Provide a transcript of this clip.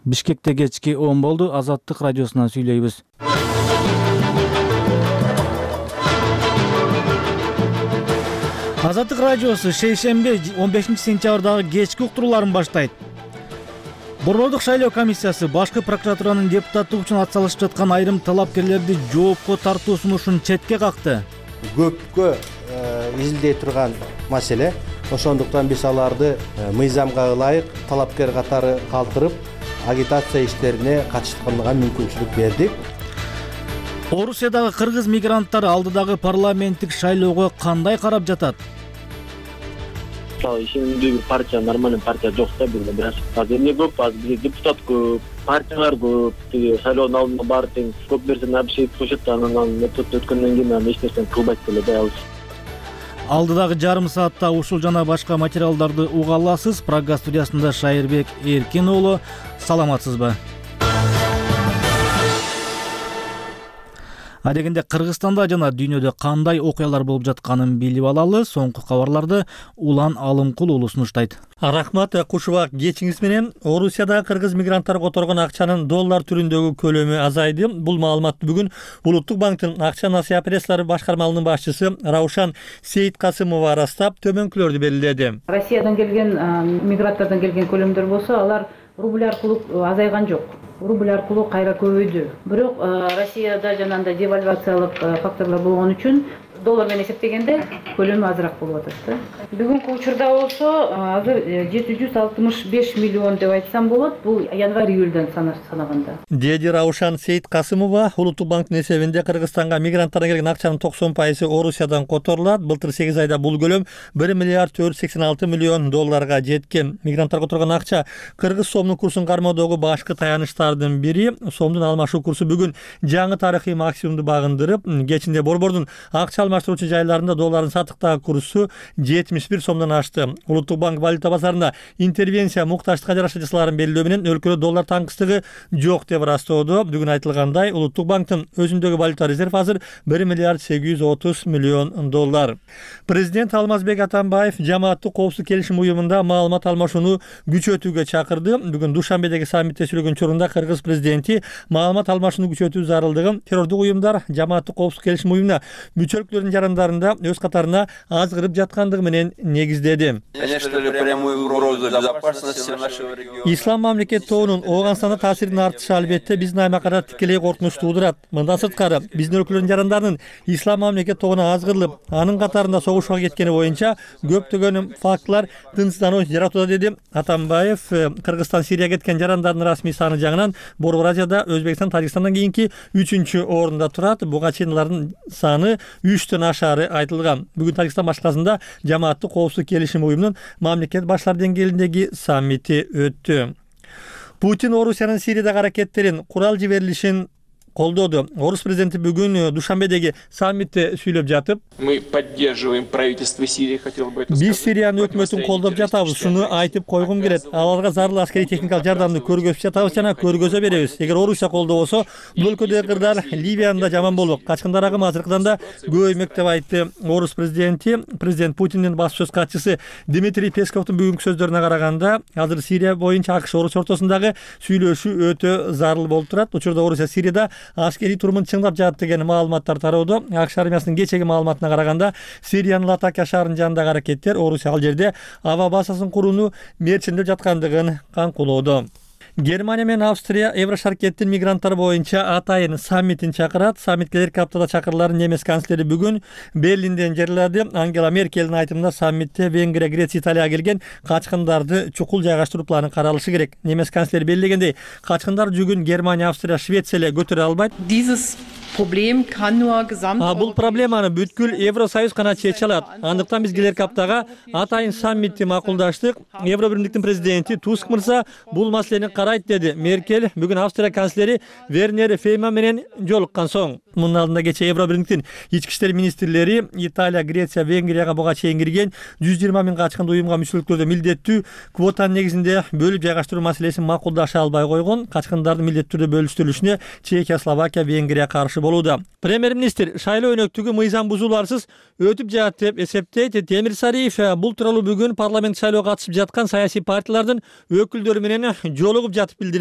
Бишкекте кечки 10 болду. Азаттык радиосунан сүйлөйбүз. Азаттык радиосу шейшемби 15-сентябрдагы кечки уктурууларын баштайт. Борбордук шайлоо комиссиясы башкы прокуратуранын депутаттык үчүн атсалышып жаткан айрым талапкерлерди жоопко тартуу сунушун четке какты. Көпкө изилдей турган маселе. Ошондуктан биз аларды мыйзамга ылайык талапкер катары калтырып, агитация иштерине катышканга мүмкүнчүлүк бердик. Орусиядагы кыргыз мигранттары алдыдагы парламенттик шайлоого кандай карап жатат? Ишендүү партия нормальный партия жок да бизде бир аз эмне көп, аз бизде депутат көп, партиялар көп, шайлоонун алдында баары тең көп нерсени обещать коюшат, анан метод өткөндөн кийин анан эч нерсени кылбайт деле да ал. Алдыдагы жарым саатта ушул жана башка материалдарды уга аласыз. Программа студиясында Шайырбек Эркин уулу. Саламатсызбы? Адегенде Кыргызстанда жана дүйнөдө кандай окуялар болуп жатканын билип алалы. Соңку кабарларды Улан Алымкул уулу сунуштайт. Рахмат, кушубак кечиңиз менен. Орусияда кыргыз мигранттар которгон акчанын доллар түрүндөгү көлөмү азайды. Бул маалыматты бүгүн Улуттук банктын акча насыя операциялары башкармалыгынын башчысы Раушан Сейиткасымова ырастап, төмөнкүлөрдү белгиледи. Россиядан келген мигранттардан келген көлөмдөр болсо, алар рубль аркылуу азайган жок. Рубль аркылуу кайра көбөйдү. Бирок Россияда жанагындай девальвациялык факторлор болгон үчүн доллар менен эсептегенде көлөмү азыраак болуп атат. Бүгүнкү учурда болсо азыр 765 миллион деп айтсам болот. Бул январь-июльдан санаганда. Деди Раушан Сейиткасымова, Улуттук банктын эсебинде Кыргызстанга мигранттардан келген акчанын 90% Орусиядан которулат. Былтыр 8 айда бул көлөм 1 миллиард 486 миллион долларга жеткен. Мигранттар которгон акча кыргыз сомдун курсун кармоодогу башкы таяныштардын бири. Сомдун алмашуу курсу бүгүн жаңы тарыхый максимумду багындырып, кечинде борбордун акча алмаштыруучу жайларында доллардын сатыктагы курсу 71 сомдон ашты. Улуттук банк валюта базарында интервенция муктаждыкка жараша жасаларын белгилөө менен өлкөдө доллар таңкыстыгы жок деп ырастоодо. Бүгүн айтылгандай, Улуттук банктын өзүндөгү валюта резерв азыр 1 миллиард 830 миллион доллар. Президент Алмазбек Атамбаев жамааттык коопсуздук келишим уюмунда маалымат алмашууну күчөтүүгө чакырды. Бүгүн Душанбедеги саммитте сүйлөгөн учурунда кыргыз президенти маалымат алмашууну күчөтүү зарылдыгын террордук уюмдар жамааттык коопсуздук келишим уюмуна мүчөлүктөрдүн жарандарында өз катарына азгырып жаткандыгы менен негиздеди. Ислам мамлекет тобунун Ооганстанда таасирин артышы албетте биздин аймакка тикелей коркунуч туудурат. Мындан сырткары биздин өлкөлөрдүн жарандарынын Ислам мамлекет тобуна азгырылып, анын катарында согушууга кеткени боюнча көптөгөн фактылар тынчсыздануу жаратууда, деди Атамбаев. Кыргызстан Сирияга кеткен жарандардын расмий саны жагынан Борбор Азияда Өзбекстан, Тажикстандан кийинки 3-чү орунда турат. Буга чейин алардын саны 3төн ашары айтылган. Бүгүн Тажикстан башкаласында жамааттык коопсуздук келишим уюмунун мамлекет башлары деңгээлиндеги саммити өттү. Путин Орусиянын Сириядагы аракеттерин курал жиберилишин колдоду. Орус президенти бүгүн Душанбедеги саммитте сүйлөп жатып, мы поддерживаем правительство Сирии, хотел бы это сказать. Биз Сириянын өкмөтүн колдоп жатабыз. Шуну айтып койгум келет. Аларга зарыл аскерий техникалык жардамды көргөзүп жатабыз жана көргөзө беребиз. Эгер Орусия колдобосо, бул өлкөдөгү кырдар Ливиянын да жаман болот. Качкындар агымы азыркыдан да көбөймөк деп айтты Орус президенти. Президент Путиндин баспасөз катчысы Дмитрий Песковдун бүгүнкү сөздөрүнө караганда, азыр Сирия боюнча АКШ Орусия ортосундагы сүйлөшүү өтө зарыл болуп турат. Учурда Орусия Сирияда аскерий турумун чыңдап жатат деген маалыматтар тароодо. АКШ армиясынын кечеги маалыматына караганда, Сириянын Латакия шаарынын жанындагы аракеттер Орусия ал жерде аба базасын курууну мерчиндеп жаткандыгын канкулоодо. Германия менен Австрия Еврошаркеттин мигранттар боюнча атайын саммитин чакырат. Саммит келерки аптада чакырыларын немис канцлери бүгүн Берлинден жарыялады. Ангела Меркелдин айтымында саммитте Венгрия, Греция, Италияга келген качкындарды чукул жайгаштыруу планы каралышы керек. Немис канцлери белгилегендей, качкындар жүгүн Германия, Австрия, Швеция эле көтөрө албайт. Бул проблеманы бүткүл Евросоюз гана чече алат. Андыктан биз келерки аптага атайын саммитти макулдаштык. Евробирликтин президенти Туск мырза бул маселени карайт, деди Меркель бүгүн Австрия канцлери Вернер Фейман менен жолуккан соң. Мунун алдында кече Евробирликтин ички иштер министрлери Италия, Греция, Венгрияга буга чейин кирген 120 миң качкынды уюмга мүчөлүктөрдө милдеттүү квотанын негизинде бөлүп жайгаштыруу маселесин макулдаша албай койгон. Качкындардын милдеттүү түрдө бөлүштүрүлүшүнө Чехия, Словакия, Венгрия каршы болууда. Премьер-министр шайлоо өнөктүгү мыйзам бузууларсыз өтүп жатат деп эсептейт. Темир Сариев бул тууралуу бүгүн парламент шайлоого катышып жаткан саясий партиялардын өкүлдөрү менен жолугуп жатып билдирди.